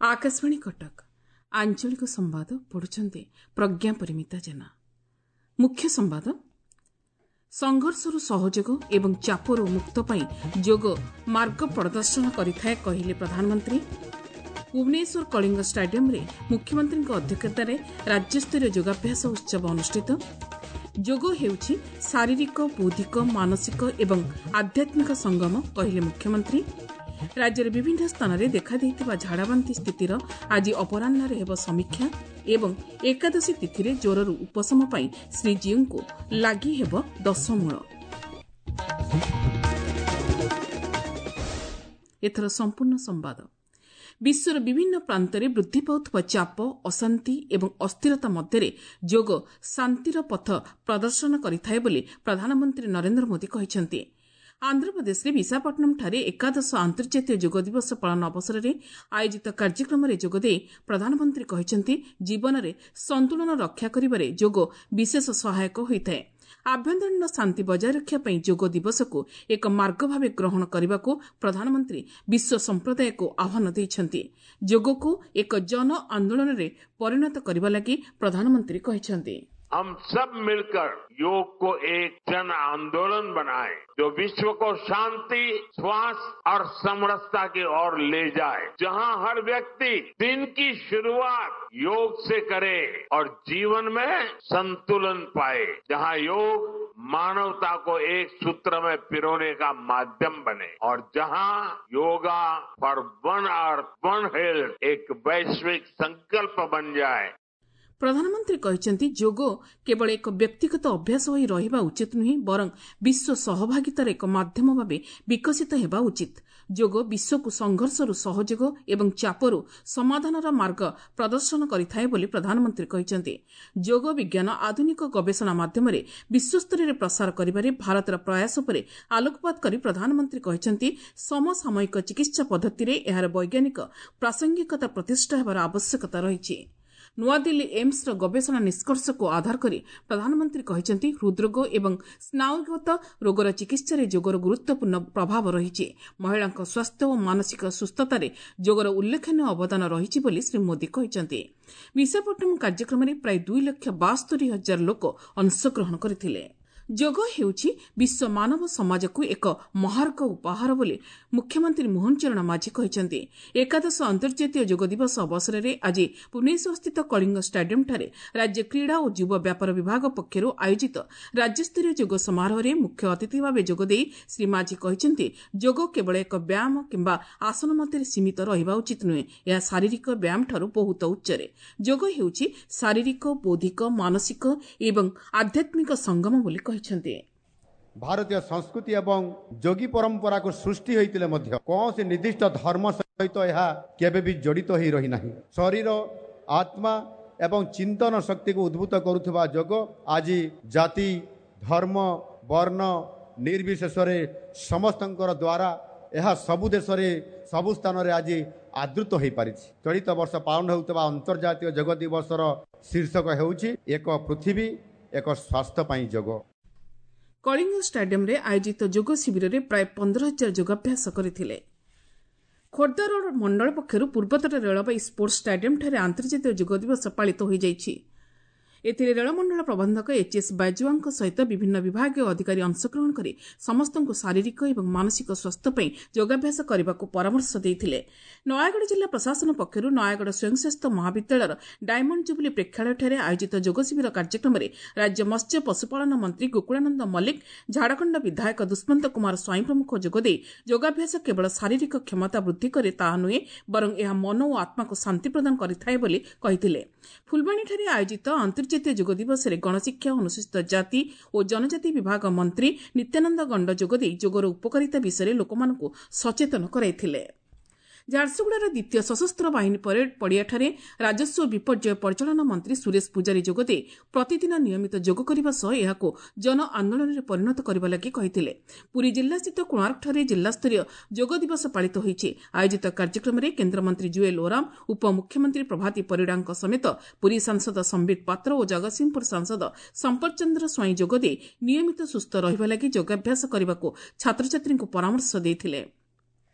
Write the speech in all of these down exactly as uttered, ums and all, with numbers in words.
ଆକାଶବାଣୀ କଟକ ଆଞ୍ଚଳିକ ସମ୍ବାଦ ପଢୁଛନ୍ତି ପ୍ରଜ୍ଞା ପରିମିତା ଜେନା। ମୁଖ୍ୟ ସମ୍ବାଦ: ସଂଘର୍ଷରୁ ସହଯୋଗ ଏବଂ ଚାପରୁ ମୁକ୍ତ ପାଇଁ ଯୋଗ ମାର୍ଗ ପ୍ରଦର୍ଶନ କରିଥାଏ, କହିଲେ ପ୍ରଧାନମନ୍ତ୍ରୀ। ଭୁବନେଶ୍ୱର କଳିଙ୍ଗ ଷ୍ଟାଡିୟମ୍ରେ ମୁଖ୍ୟମନ୍ତ୍ରୀଙ୍କ ଅଧ୍ୟକ୍ଷତାରେ ରାଜ୍ୟସ୍ତରୀୟ ଯୋଗାଭ୍ୟାସ ଉତ୍ସବ ଅନୁଷ୍ଠିତ। ଯୋଗ ହେଉଛି ଶାରୀରିକ, ବୌଦ୍ଧିକ, ମାନସିକ ଏବଂ ଆଧ୍ୟାତ୍ମିକ ସଙ୍ଗମ, କହିଲେ ମୁଖ୍ୟମନ୍ତ୍ରୀ। ରାଜ୍ୟର ବିଭିନ୍ନ ସ୍ଥାନରେ ଦେଖାଦେଇଥିବା ଝାଡ଼ାବାନ୍ତି ସ୍ଥିତିର ଆଜି ଅପରାହ୍ନରେ ହେବ ସମୀକ୍ଷା ଏବଂ ଏକାଦଶୀ ତିଥିରେ ଜ୍ୱରରୁ ଉପଶମ ପାଇଁ ଶ୍ରୀଜୀଉଙ୍କୁ ଲାଗି ହେବ ଦଶମୂଳ। ଏଥର ସମ୍ପୂର୍ଣ୍ଣ ସମ୍ବାଦ। ବିଶ୍ୱର ବିଭିନ୍ନ ପ୍ରାନ୍ତରେ ବୃଦ୍ଧି ପାଉଥିବା ଚାପ, ଅଶାନ୍ତି ଏବଂ ଅସ୍ଥିରତା ମଧ୍ୟରେ ଯୋଗ ଶାନ୍ତିର ପଥ ପ୍ରଦର୍ଶନ କରିଥାଏ ବୋଲି ପ୍ରଧାନମନ୍ତ୍ରୀ ନରେନ୍ଦ୍ର ମୋଦି କହିଛନ୍ତି। ଆନ୍ଧ୍ରପ୍ରଦେଶରେ ବିଶାଖାପଟ୍ଟନମଠାରେ ଏକାଦଶ ଆନ୍ତର୍ଜାତୀୟ ଯୋଗ ଦିବସ ପାଳନ ଅବସରରେ ଆୟୋଜିତ କାର୍ଯ୍ୟକ୍ରମରେ ଯୋଗଦେଇ ପ୍ରଧାନମନ୍ତ୍ରୀ କହିଛନ୍ତି, ଜୀବନରେ ସନ୍ତୁଳନ ରକ୍ଷା କରିବାରେ ଯୋଗ ବିଶେଷ ସହାୟକ ହୋଇଥାଏ। ଆଭ୍ୟନ୍ତରୀଣ ଶାନ୍ତି ବଜାୟ ରଖିବା ପାଇଁ ଯୋଗ ଦିବସକୁ ଏକ ମାର୍ଗ ଭାବେ ଗ୍ରହଣ କରିବାକୁ ପ୍ରଧାନମନ୍ତ୍ରୀ ବିଶ୍ୱ ସମ୍ପ୍ରଦାୟକୁ ଆହ୍ୱାନ ଦେଇଛନ୍ତି। ଯୋଗକୁ ଏକ ଜନ ଆନ୍ଦୋଳନରେ ପରିଣତ କରିବା ଲାଗି ପ୍ରଧାନମନ୍ତ୍ରୀ କହିଛନ୍ତି, हम सब मिलकर योग को एक जन आंदोलन बनाएं, जो विश्व को शांति, स्वास्थ्य और समरसता की ओर ले जाए, जहां हर व्यक्ति दिन की शुरुआत योग से करे और जीवन में संतुलन पाए, जहां योग मानवता को एक सूत्र में पिरोने का माध्यम बने और जहां yoga for one earth one health एक वैश्विक संकल्प बन जाए। ପ୍ରଧାନମନ୍ତ୍ରୀ କହିଛନ୍ତି, ଯୋଗ କେବଳ ଏକ ବ୍ୟକ୍ତିଗତ ଅଭ୍ୟାସ ହୋଇ ରହିବା ଉଚିତ ନୁହେଁ, ବରଂ ବିଶ୍ୱ ସହଭାଗିତାର ଏକ ମାଧ୍ୟମ ଭାବେ ବିକଶିତ ହେବା ଉଚିତ। ଯୋଗ ବିଶ୍ୱକୁ ସଂଘର୍ଷରୁ ସହଯୋଗ ଏବଂ ଚାପରୁ ସମାଧାନର ମାର୍ଗ ପ୍ରଦର୍ଶନ କରିଥାଏ ବୋଲି ପ୍ରଧାନମନ୍ତ୍ରୀ କହିଛନ୍ତି। ଯୋଗ ବିଜ୍ଞାନ ଆଧୁନିକ ଗବେଷଣା ମାଧ୍ୟମରେ ବିଶ୍ୱସ୍ତରରେ ପ୍ରସାର କରିବାରେ ଭାରତର ପ୍ରୟାସ ଉପରେ ଆଲୋକପାତ କରି ପ୍ରଧାନମନ୍ତ୍ରୀ କହିଛନ୍ତି, ସମସାମୟିକ ଚିକିତ୍ସା ପଦ୍ଧତିରେ ଏହାର ବୈଜ୍ଞାନିକ ପ୍ରାସଙ୍ଗିକତା ପ୍ରତିଷ୍ଠା ହେବାର ଆବଶ୍ୟକତା ରହିଛି। ନୂଆଦିଲ୍ଲୀ ଏମ୍ସର ଗବେଷଣା ନିଷ୍କର୍ଷକୁ ଆଧାର କରି ପ୍ରଧାନମନ୍ତ୍ରୀ କହିଛନ୍ତି, ହୃଦ୍ରୋଗ ଏବଂ ସ୍ନାୟୁଗତ ରୋଗର ଚିକିତ୍ସାରେ ଯୋଗର ଗୁରୁତ୍ୱପୂର୍ଣ୍ଣ ପ୍ରଭାବ ରହିଛି। ମହିଳାଙ୍କ ସ୍ୱାସ୍ଥ୍ୟ ଓ ମାନସିକ ସୁସ୍ଥତାରେ ଯୋଗର ଉଲ୍ଲେଖନୀୟ ଅବଦାନ ରହିଛି ବୋଲି ଶ୍ରୀ ମୋଦି କହିଛନ୍ତି। ବିଶାଖାପଟ୍ଟନମ କାର୍ଯ୍ୟକ୍ରମରେ ପ୍ରାୟ ଦୁଇ ଲକ୍ଷ ବାସ୍ତରି ହଜାର ଲୋକ ଅଂଶଗ୍ରହଣ କରିଥିଲେ। ଯୋଗ ହେଉଛି ବିଶ୍ୱ ମାନବ ସମାଜକୁ ଏକ ମହାର୍ଘ ଉପହାର ବୋଲି ମୁଖ୍ୟମନ୍ତ୍ରୀ ମୋହନ ଚରଣ ମାଝୀ କହିଛନ୍ତି। ଏକାଦଶ ଅନ୍ତର୍ଜାତୀୟ ଯୋଗ ଦିବସ ଅବସରରେ ଆଜି ଭୁବନେଶ୍ୱରସ୍ଥିତ କଳିଙ୍ଗ ଷ୍ଟାଡିୟମ୍ଠାରେ ରାଜ୍ୟ କ୍ରୀଡ଼ା ଓ ଯୁବ ବ୍ୟାପାର ବିଭାଗ ପକ୍ଷରୁ ଆୟୋଜିତ ରାଜ୍ୟସ୍ତରୀୟ ଯୋଗ ସମାରୋହରେ ମୁଖ୍ୟ ଅତିଥି ଭାବେ ଯୋଗଦେଇ ଶ୍ରୀ ମାଝୀ କହିଛନ୍ତି, ଯୋଗ କେବଳ ଏକ ବ୍ୟାୟାମ କିମ୍ବା ଆସନ ମଧ୍ୟରେ ସୀମିତ ରହିବା ଉଚିତ ନୁହେଁ, ଏହା ଶାରୀରିକ ବ୍ୟାୟାମଠାରୁ ବହୁତ ଉଚ୍ଚରେ। ଯୋଗ ହେଉଛି ଶାରୀରିକ, ବୌଦ୍ଧିକ, ମାନସିକ ଏବଂ ଆଧ୍ୟାତ୍ମିକ ସଙ୍ଗମ ବୋଲି କହିଛନ୍ତି। ଭାରତୀୟ ସଂସ୍କୃତି ଏବଂ ଯୋଗୀ ପରମ୍ପରାକୁ ସୃଷ୍ଟି ହୋଇଥିଲେ ମଧ୍ୟ କୌଣସି ନିର୍ଦ୍ଦିଷ୍ଟ ଧର୍ମ ସହିତ ଏହା କେବେ ବି ଜଡ଼ିତ ହୋଇ ରହିନାହିଁ। ଶରୀର, ଆତ୍ମା ଏବଂ ଚିନ୍ତନ ଶକ୍ତିକୁ ଉଦ୍ଭୂତ କରୁଥିବା ଯୋଗ ଆଜି ଜାତି, ଧର୍ମ, ବର୍ଣ୍ଣ ନିର୍ବିଶେଷରେ ସମସ୍ତଙ୍କର ଦ୍ୱାରା ଏହା ସବୁ ଦେଶରେ ସବୁ ସ୍ଥାନରେ ଆଜି ଆଦୃତ ହୋଇପାରିଛି। ଚଳିତ ବର୍ଷ ପାଳନ ହେଉଥିବା ଅନ୍ତର୍ଜାତୀୟ ଯୋଗ ଦିବସର ଶୀର୍ଷକ ହେଉଛି ଏକ ପୃଥିବୀ ଏକ ସ୍ୱାସ୍ଥ୍ୟ ପାଇଁ ଯୋଗ। କଳିଙ୍ଗ ଷ୍ଟାଡିୟମ୍ରେ ଆୟୋଜିତ ଯୋଗ ଶିବିରରେ ପ୍ରାୟ ପନ୍ଦର ହଜାର ଯୋଗାଭ୍ୟାସ କରିଥିଲେ। ଖୋର୍ଦ୍ଧା ରୋଡ୍ ମଣ୍ଡଳ ପକ୍ଷରୁ ପୂର୍ବତଟ ରେଳବାଇ ସ୍ପୋର୍ଟସ ଷ୍ଟାଡିୟମ୍ଠାରେ ଆନ୍ତର୍ଜାତୀୟ ଯୋଗ ଦିବସ ପାଳିତ ହୋଇଯାଇଛି। ଏଥିରେ ରେଳମଣ୍ଡଳ ପ୍ରବନ୍ଧକ ଏଚ୍ ଏସ୍ ବାଜୁଆଙ୍କ ସହିତ ବିଭିନ୍ନ ବିଭାଗୀୟ ଅଧିକାରୀ ଅଂଶଗ୍ରହଣ କରି ସମସ୍ତଙ୍କୁ ଶାରୀରିକ ଏବଂ ମାନସିକ ସ୍ୱାସ୍ଥ୍ୟ ପାଇଁ ଯୋଗାଭ୍ୟାସ କରିବାକୁ ପରାମର୍ଶ ଦେଇଥିଲେ। ନୟାଗଡ଼ ଜିଲ୍ଲା ପ୍ରଶାସନ ପକ୍ଷରୁ ନୟାଗଡ଼ ସ୍ୱୟଂଶାସିତ ମହାବିଦ୍ୟାଳୟର ଡାଇମଣ୍ଡ ଜୁବୁଲି ପ୍ରେକ୍ଷାଳୟଠାରେ ଆୟୋଜିତ ଯୋଗ ଶିବିର କାର୍ଯ୍ୟକ୍ରମରେ ରାଜ୍ୟ ମତ୍ସ୍ୟ ପଶୁପାଳନ ମନ୍ତ୍ରୀ ଗୋକୁଳାନନ୍ଦ ମଲ୍ଲିକ, ଝାଡ଼ଖଣ୍ଡ ବିଧାୟକ ଦୁଷ୍ମନ୍ତ କୁମାର ସ୍ୱାଇଁ ପ୍ରମୁଖ ଯୋଗଦେଇ ଯୋଗାଭ୍ୟାସ କେବଳ ଶାରୀରିକ କ୍ଷମତା ବୃଦ୍ଧି କରେ ତାହା ନୁହେଁ, ବରଂ ଏହା ମନ ଓ ଆତ୍ମାକୁ ଶାନ୍ତି ପ୍ରଦାନ କରିଥାଏ ବୋଲି କହିଥିଲେ। ଫୁଲବାଣୀଠାରେ ଆୟୋଜିତ ଅନ୍ତର୍ଜାତୀୟ ଯୋଗ ଦିବସରେ ଗଣଶିକ୍ଷା, ଅନୁସୂଚିତ ଜାତି ଓ ଜନଜାତି ବିଭାଗ ମନ୍ତ୍ରୀ ନିତ୍ୟାନନ୍ଦ ଗଣ୍ଡ ଯୋଗଦେଇ ଯୋଗର ଉପକାରିତା ବିଷୟରେ ଲୋକମାନଙ୍କୁ ସଚେତନ କରାଇଥିଲେ। ଝାରସୁଗୁଡ଼ାର ଦ୍ୱିତୀୟ ସଶସ୍ତ୍ର ବାହିନୀ ପରେଡ୍ ପଡ଼ିଆଠାରେ ରାଜସ୍ୱ ବିପର୍ଯ୍ୟୟ ପରିଚାଳନା ମନ୍ତ୍ରୀ ସୁରେଶ ପୂଜାରୀ ଯୋଗଦେଇ ପ୍ରତିଦିନ ନିୟମିତ ଯୋଗ କରିବା ସହ ଏହାକୁ ଜନ ଆନ୍ଦୋଳନରେ ପରିଣତ କରିବା ଲାଗି କହିଥିଲେ। ପୁରୀ ଜିଲ୍ଲାସ୍ଥିତ କୋଣାର୍କଠାରେ ଜିଲ୍ଲାସ୍ତରୀୟ ଯୋଗ ଦିବସ ପାଳିତ ହୋଇଛି। ଆୟୋଜିତ କାର୍ଯ୍ୟକ୍ରମରେ କେନ୍ଦ୍ରମନ୍ତ୍ରୀ ଜୁଏଲ୍ ଓରାମ, ଉପମୁଖ୍ୟମନ୍ତ୍ରୀ ପ୍ରଭାତୀ ପରିଡ଼ାଙ୍କ ସମେତ ପୁରୀ ସାଂସଦ ସମ୍ବିତ ପାତ୍ର ଓ ଜଗତସିଂହପୁର ସାଂସଦ ସମ୍ପଦ ଚନ୍ଦ୍ର ସ୍ୱାଇଁ ଯୋଗଦେଇ ନିୟମିତ ସୁସ୍ଥ ରହିବା ଲାଗି ଯୋଗାଭ୍ୟାସ କରିବାକୁ ଛାତ୍ରଛାତ୍ରୀଙ୍କୁ ପରାମର୍ଶ ଦେଇଥିଲେ।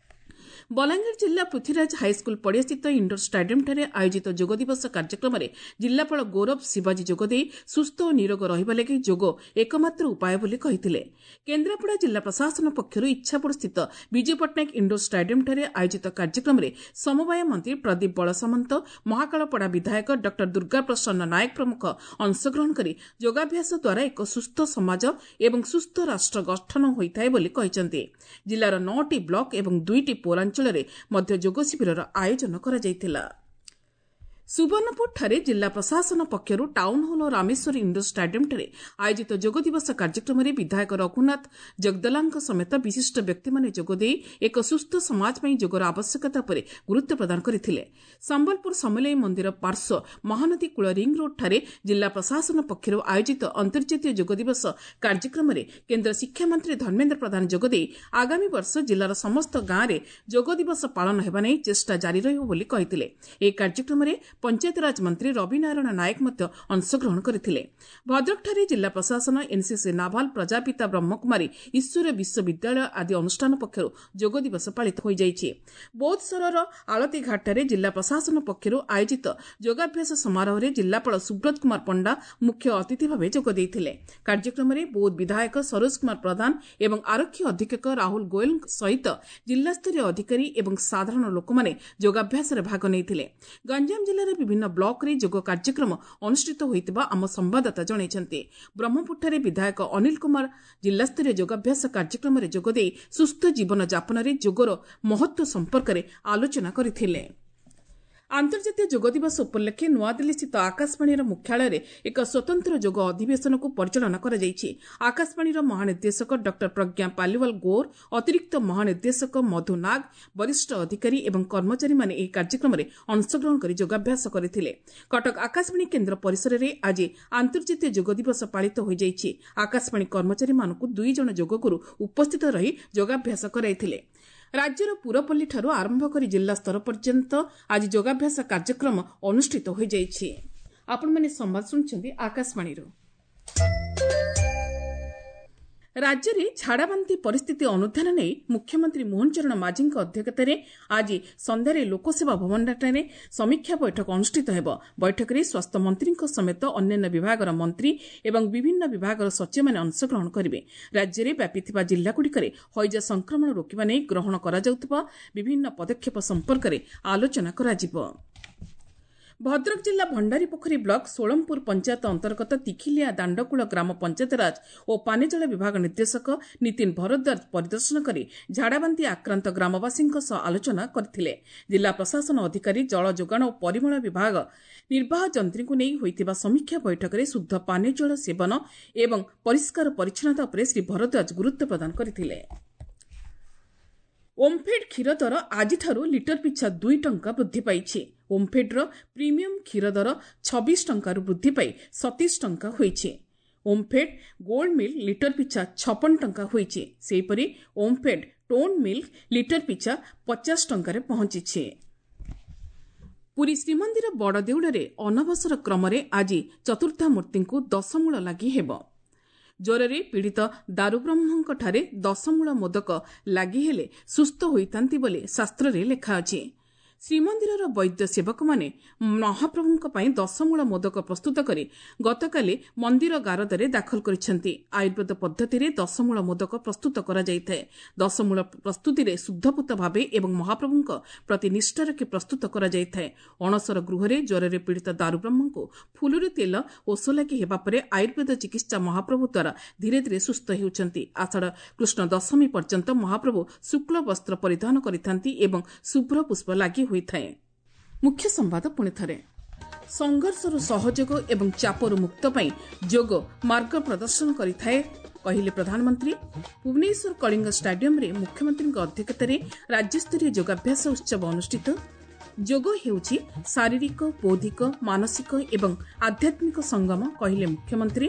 ବଲାଙ୍ଗୀର ଜିଲ୍ଲା ପୃଥ୍ୱୀରାଜ ହାଇସ୍କୁଲ ପଡ଼ିଆସ୍ଥିତ ଇଣ୍ଡୋର ଷ୍ଟାଡିୟମ୍ଠାରେ ଆୟୋଜିତ ଯୋଗ ଦିବସ କାର୍ଯ୍ୟକ୍ରମରେ ଜିଲ୍ଲାପାଳ ଗୌରବ ଶିବାଜୀ ଯୋଗଦେଇ ସୁସ୍ଥ ଓ ନିରୋଗ ରହିବା ଲାଗି ଯୋଗ ଏକମାତ୍ର ଉପାୟ ବୋଲି କହିଥିଲେ। କେନ୍ଦ୍ରାପଡ଼ା ଜିଲ୍ଲା ପ୍ରଶାସନ ପକ୍ଷରୁ ଇଚ୍ଛାପୁରସ୍ଥିତ ବିଜୁ ପଟ୍ଟନାୟକ ଇଣ୍ଡୋର ଷ୍ଟାଡିୟମ୍ଠାରେ ଆୟୋଜିତ କାର୍ଯ୍ୟକ୍ରମରେ ସମବାୟ ମନ୍ତ୍ରୀ ପ୍ରଦୀପ ବଳସାମନ୍ତ, ମହାକାଳପଡ଼ା ବିଧାୟକ ଡକ୍ଟର ଦୁର୍ଗା ପ୍ରସନ୍ନ ନାୟକ ପ୍ରମୁଖ ଅଂଶଗ୍ରହଣ କରି ଯୋଗାଭ୍ୟାସ ଦ୍ୱାରା ଏକ ସୁସ୍ଥ ସମାଜ ଏବଂ ସୁସ୍ଥ ରାଷ୍ଟ୍ର ଗଠନ ହୋଇଥାଏ ବୋଲି କହିଛନ୍ତି। ଜିଲ୍ଲାର ନଅଟି ବ୍ଲକ ଏବଂ ଦୁଇଟି ପୌରାଞ୍ଚଳରେ ମଧ୍ୟ ଯୋଗ ଶିବିରର ଆୟୋଜନ କରାଯାଇଥିଲା। ସୁବର୍ଣ୍ଣପୁରଠାରେ ଜିଲ୍ଲା ପ୍ରଶାସନ ପକ୍ଷରୁ ଟାଉନହଲ୍ ଓ ରାମେଶ୍ୱର ଇଣ୍ଡୋର ଷ୍ଟାଡିୟମ୍ଠାରେ ଆୟୋଜିତ ଯୋଗ ଦିବସ କାର୍ଯ୍ୟକ୍ରମରେ ବିଧାୟକ ରଘୁନାଥ ଜଗଦଲାଙ୍କ ସମେତ ବିଶିଷ୍ଟ ବ୍ୟକ୍ତିମାନେ ଯୋଗଦେଇ ଏକ ସୁସ୍ଥ ସମାଜ ପାଇଁ ଯୋଗର ଆବଶ୍ୟକତା ଉପରେ ଗୁରୁତ୍ୱ ପ୍ରଦାନ କରିଥିଲେ। ସମ୍ବଲପୁର ସମଲେଇ ମନ୍ଦିର ପାର୍ଶ୍ୱ ମହାନଦୀ କୂଳ ରିଂ ରୋଡ୍ଠାରେ ଜିଲ୍ଲା ପ୍ରଶାସନ ପକ୍ଷରୁ ଆୟୋଜିତ ଅନ୍ତର୍ଜାତୀୟ ଯୋଗ ଦିବସ କାର୍ଯ୍ୟକ୍ରମରେ କେନ୍ଦ୍ର ଶିକ୍ଷାମନ୍ତ୍ରୀ ଧର୍ମେନ୍ଦ୍ର ପ୍ରଧାନ ଯୋଗଦେଇ ଆଗାମୀ ବର୍ଷ ଜିଲ୍ଲାର ସମସ୍ତ ଗାଁରେ ଯୋଗ ଦିବସ ପାଳନ ହେବା ନେଇ ଚେଷ୍ଟା ଜାରି ରହିବ ବୋଲି କହିଥିଲେ। ଏହି କାର୍ଯ୍ୟକ୍ରମରେ ପଞ୍ଚାୟତରାଜ ମନ୍ତ୍ରୀ ରବି ନାରାୟଣ ନାୟକ ମଧ୍ୟ ଅଂଶଗ୍ରହଣ କରିଥିଲେ। ଭଦ୍ରକଠାରେ ଜିଲ୍ଲା ପ୍ରଶାସନ, ଏନ୍ସିସି ନାଭାଲ, ପ୍ରଜାପିତା ବ୍ରହ୍ମକୁମାରୀ ଈଶ୍ୱରୀୟ ବିଶ୍ୱବିଦ୍ୟାଳୟ ଆଦି ଅନୁଷ୍ଠାନ ପକ୍ଷରୁ ଯୋଗ ଦିବସ ପାଳିତ ହୋଇଯାଇଛି। ବୌଦ୍ଧସରର ଆଳତୀଘାଟଠାରେ ଜିଲ୍ଲା ପ୍ରଶାସନ ପକ୍ଷରୁ ଆୟୋଜିତ ଯୋଗାଭ୍ୟାସ ସମାରୋହରେ ଜିଲ୍ଲାପାଳ ସୁବ୍ରତ କୁମାର ପଣ୍ଡା ମୁଖ୍ୟ ଅତିଥି ଭାବେ ଯୋଗ ଦେଇଥିଲେ। କାର୍ଯ୍ୟକ୍ରମରେ ବୌଦ୍ଧ ବିଧାୟକ ସରୋଜ କୁମାର ପ୍ରଧାନ ଏବଂ ଆରକ୍ଷୀ ଅଧୀକ୍ଷକ ରାହୁଲ ଗୋଏଲଙ୍କ ସହିତ ଜିଲ୍ଲାସ୍ତରୀୟ ଅଧିକାରୀ ଏବଂ ସାଧାରଣ ଲୋକମାନେ ଯୋଗାଭ୍ୟାସରେ ଭାଗ ନେଇଥିଲେ। ଗଞ୍ଜାମ ଜିଲ୍ଲାର ବିଭିନ୍ନ ବ୍ଲକରେ ଯୋଗ କାର୍ଯ୍ୟକ୍ରମ ଅନୁଷ୍ଠିତ ହୋଇଥିବା ଆମ ସମ୍ବାଦଦାତା ଜଣାଇଛନ୍ତି। ବ୍ରହ୍ମପୁରଠାରେ ବିଧାୟକ ଅନିଲ କୁମାର ଜିଲ୍ଲାସ୍ତରୀୟ ଯୋଗାଭ୍ୟାସ କାର୍ଯ୍ୟକ୍ରମରେ ଯୋଗଦେଇ ସୁସ୍ଥ ଜୀବନ ଯାପନରେ ଯୋଗର ମହତ୍ତ୍ୱ ସମ୍ପର୍କରେ ଆଲୋଚନା କରିଥିଲେ। ଆନ୍ତର୍ଜାତୀୟ ଯୋଗ ଦିବସ ଉପଲକ୍ଷେ ନୂଆଦିଲ୍ଲୀସ୍ଥିତ ଆକାଶବାଣୀର ମୁଖ୍ୟାଳୟରେ ଏକ ସ୍ୱତନ୍ତ୍ର ଯୋଗ ଅଧିବେଶନକୁ ପରିଚାଳନା କରାଯାଇଛି। ଆକାଶବାଣୀର ମହାନିର୍ଦ୍ଦେଶକ ଡକ୍ଟର ପ୍ରଜ୍ଞା ପାଲିୱାଲ ଗୌର, ଅତିରିକ୍ତ ମହାନିର୍ଦ୍ଦେଶକ ମଧୁ ନାଗ, ବରିଷ୍ଠ ଅଧିକାରୀ ଏବଂ କର୍ମଚାରୀମାନେ ଏହି କାର୍ଯ୍ୟକ୍ରମରେ ଅଂଶଗ୍ରହଣ କରି ଯୋଗାଭ୍ୟାସ କରିଥିଲେ। କଟକ ଆକାଶବାଣୀ କେନ୍ଦ୍ର ପରିସରରେ ଆଜି ଆନ୍ତର୍ଜାତୀୟ ଯୋଗ ଦିବସ ପାଳିତ ହୋଇଯାଇଛି। ଆକାଶବାଣୀ କର୍ମଚାରୀମାନଙ୍କୁ ଦୁଇ ଜଣ ଯୋଗଗୁରୁ ଉପସ୍ଥିତ ରହି ଯୋଗାଭ୍ୟାସ କରାଇଥିଲେ। ରାଜ୍ୟର ପୁରପଲ୍ଲୀଠାରୁ ଆରମ୍ଭ କରି ଜିଲ୍ଲା ସ୍ତର ପର୍ଯ୍ୟନ୍ତ ଆଜି ଯୋଗାଭ୍ୟାସ କାର୍ଯ୍ୟକ୍ରମ ଅନୁଷ୍ଠିତ ହୋଇଯାଇଛି। ଆପଣମାନେ ସମ୍ବାଦ ଶୁଣୁଛନ୍ତି ଆକାଶବାଣୀରୁ। ରାଜ୍ୟରେ ଝାଡ଼ାବାନ୍ତି ପରିସ୍ଥିତି ଅନୁଧ୍ୟାନ ନେଇ ମୁଖ୍ୟମନ୍ତ୍ରୀ ମୋହନ ଚରଣ ମାଝୀଙ୍କ ଅଧ୍ୟକ୍ଷତାରେ ଆଜି ସନ୍ଧ୍ୟାରେ ଲୋକସେବା ଭବନଠାରେ ସମୀକ୍ଷା ବୈଠକ ଅନୁଷ୍ଠିତ ହେବ। ବୈଠକରେ ସ୍ୱାସ୍ଥ୍ୟମନ୍ତ୍ରୀଙ୍କ ସମେତ ଅନ୍ୟାନ୍ୟ ବିଭାଗର ମନ୍ତ୍ରୀ ଏବଂ ବିଭିନ୍ନ ବିଭାଗର ସଚିବମାନେ ଅଂଶଗ୍ରହଣ କରିବେ। ରାଜ୍ୟରେ ବ୍ୟାପିଥିବା ଜିଲ୍ଲାଗୁଡ଼ିକରେ ହଇଜା ସଂକ୍ରମଣ ରୋକିବା ନେଇ ଗ୍ରହଣ କରାଯାଉଥିବା ବିଭିନ୍ନ ପଦକ୍ଷେପ ସମ୍ପର୍କରେ ଆଲୋଚନା କରାଯିବ। ଭଦ୍ରକ ଜିଲ୍ଲା ଭଣ୍ଡାରୀପୋଖରୀ ବ୍ଲକ ଷୋଳମପୁର ପଞ୍ଚାୟତ ଅନ୍ତର୍ଗତ ତିଖିଲିଆ ଦାଣ୍ଡକୂଳ ଗ୍ରାମ ପଞ୍ଚାୟତରାଜ ଓ ପାନୀୟ ଜଳ ବିଭାଗ ନିର୍ଦ୍ଦେଶକ ନୀତିନ ଭରଦ୍ୱାଜ ପରିଦର୍ଶନ କରି ଝାଡ଼ାବାନ୍ତି ଆକ୍ରାନ୍ତ ଗ୍ରାମବାସୀଙ୍କ ସହ ଆଲୋଚନା କରିଥିଲେ। ଜିଲ୍ଲା ପ୍ରଶାସନ ଅଧିକାରୀ, ଜଳ ଯୋଗାଣ ଓ ପରିମଳ ବିଭାଗ ନିର୍ବାହ ଯନ୍ତ୍ରୀଙ୍କୁ ନେଇ ହୋଇଥିବା ସମୀକ୍ଷା ବୈଠକରେ ଶୁଦ୍ଧ ପାନୀୟ ଜଳ ସେବନ ଏବଂ ପରିଷ୍କାର ପରିଚ୍ଛନ୍ନତା ଉପରେ ଶ୍ରୀ ଭରଦ୍ୱାଜ ଗୁରୁତ୍ୱ ପ୍ରଦାନ କରିଥିଲେ। ଓମ୍ଫେଡ୍ କ୍ଷୀର ଦର ଆଜିଠାରୁ ଲିଟର ପିଛା ଦୁଇ ଟଙ୍କା ବୃଦ୍ଧି ପାଇଛି। ଓମ୍ଫେଡ୍ର ପ୍ରିମିୟମ୍ କ୍ଷୀର ଦର ଛବିଶ ଟଙ୍କାରୁ ବୃଦ୍ଧି ପାଇ ସତେଇଶ ଟଙ୍କା ହୋଇଛି। ଓମ୍ଫେଡ୍ ଗୋଲ୍ଡ ମିଲ୍କ ଲିଟର ପିଛା ଛପନ ଟଙ୍କା ହୋଇଛି। ସେହିପରି ଓମ୍ଫେଡ୍ ଟୋନ୍ ମିଲ୍କ ଲିଟର ପିଛା ପଚାଶ ଟଙ୍କାରେ ପହଞ୍ଚିଛି। ପୁରୀ ଶ୍ରୀମନ୍ଦିର ବଡ଼ଦେଉଳରେ ଅନବସର କ୍ରମରେ ଆଜି ଚତୁର୍ଦ୍ଧାମୂର୍ତ୍ତିଙ୍କୁ ଦଶମୂଳ ଲାଗି ହେବ। ଜ୍ୱରରେ ପୀଡ଼ିତ ଦାରୁବ୍ରହ୍ମଙ୍କଠାରେ ଦଶମୂଳ ମୋଦକ ଲାଗି ହେଲେ ସୁସ୍ଥ ହୋଇଥାନ୍ତି ବୋଲି ଶାସ୍ତ୍ରରେ ଲେଖା ଅଛି। ଶ୍ରୀମନ୍ଦିରର ବୈଦ୍ୟ ସେବକମାନେ ମହାପ୍ରଭୁଙ୍କ ପାଇଁ ଦଶମୂଳ ମୋଦକ ପ୍ରସ୍ତୁତ କରି ଗତକାଲି ମନ୍ଦିର ଗାରଦରେ ଦାଖଲ କରିଛନ୍ତି। ଆୟୁର୍ବେଦ ପଦ୍ଧତିରେ ଦଶମୂଳ ମୋଦକ ପ୍ରସ୍ତୁତ କରାଯାଇଥାଏ। ଦଶମୂଳ ପ୍ରସ୍ତୁତିରେ ଶୁଦ୍ଧପୂତ ଭାବେ ଏବଂ ମହାପ୍ରଭୁଙ୍କ ପ୍ରତି ନିଷ୍ଠା ରଖି ପ୍ରସ୍ତୁତ କରାଯାଇଥାଏ। ଅଣସର ଗୃହରେ ଜ୍ୱରରେ ପୀଡ଼ିତ ଦାରୁବ୍ରହ୍ମଙ୍କୁ ଫୁଲୁରି ତେଲ ଓଷ ଲାଗି ହେବା ପରେ ଆୟୁର୍ବେଦ ଚିକିତ୍ସା ମହାପ୍ରଭୁ ଦ୍ୱାରା ଧୀରେ ଧୀରେ ସୁସ୍ଥ ହେଉଛନ୍ତି। ଆଷାଢ଼ କୃଷ୍ଣ ଦଶମୀ ପର୍ଯ୍ୟନ୍ତ ମହାପ୍ରଭୁ ଶୁକ୍ଳ ବସ୍ତ୍ର ପରିଧାନ କରିଥାନ୍ତି ଏବଂ ଶୁଭ୍ର ପୁଷ୍ପ ଲାଗି ହୋଇଥାଏ। ମୁଖ୍ୟ ସମ୍ବାଦ ପୁଣି ଥରେ। ସଂଘର୍ଷରୁ ସହଯୋଗ ଏବଂ ଚାପରୁ ମୁକ୍ତ ପାଇଁ ଯୋଗ ମାର୍ଗ ପ୍ରଦର୍ଶନ କରିଥାଏ କହିଲେ ପ୍ରଧାନମନ୍ତ୍ରୀ। ଭୁବନେଶ୍ୱର କଳିଙ୍ଗ ଷ୍ଟାଡିୟମରେ ମୁଖ୍ୟମନ୍ତ୍ରୀଙ୍କ ଅଧ୍ୟକ୍ଷତାରେ ରାଜ୍ୟସ୍ତରୀୟ ଯୋଗାଭ୍ୟାସ ଉତ୍ସବ ଅନୁଷ୍ଠିତ। ଯୋଗ ହେଉଛି ଶାରୀରିକ, ବୌଦ୍ଧିକ, ମାନସିକ ଏବଂ ଆଧ୍ୟାତ୍ମିକ ସଙ୍ଗମ କହିଲେ ମୁଖ୍ୟମନ୍ତ୍ରୀ।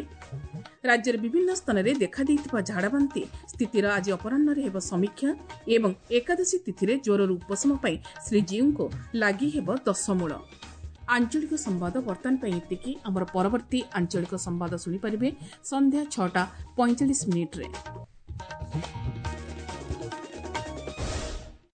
ରାଜ୍ୟର ବିଭିନ୍ନ ସ୍ଥାନରେ ଦେଖାଦେଇଥିବା ଝାଡ଼ାବାନ୍ତି ସ୍ଥିତିର ଆଜି ଅପରାହ୍ନରେ ହେବ ସମୀକ୍ଷା ଏବଂ ଏକାଦଶୀ ତିଥିରେ ଜ୍ୱରରୁ ଉପଶମ ପାଇଁ ଶ୍ରୀଜୀଉଙ୍କୁ ଲାଗି ହେବ ଦଶମୂଳ। ଆଞ୍ଚଳିକ ସମ୍ବାଦ ବର୍ତ୍ତମାନ ପାଇଁ ଏତିକି। ଆମର ପରବର୍ତ୍ତୀ ଆଞ୍ଚଳିକ ସମ୍ବାଦ ଶୁଣିପାରିବେ ସନ୍ଧ୍ୟା ଛଅଟା ପଇଁଚାଳିଶ ମିନିଟ୍ରେ।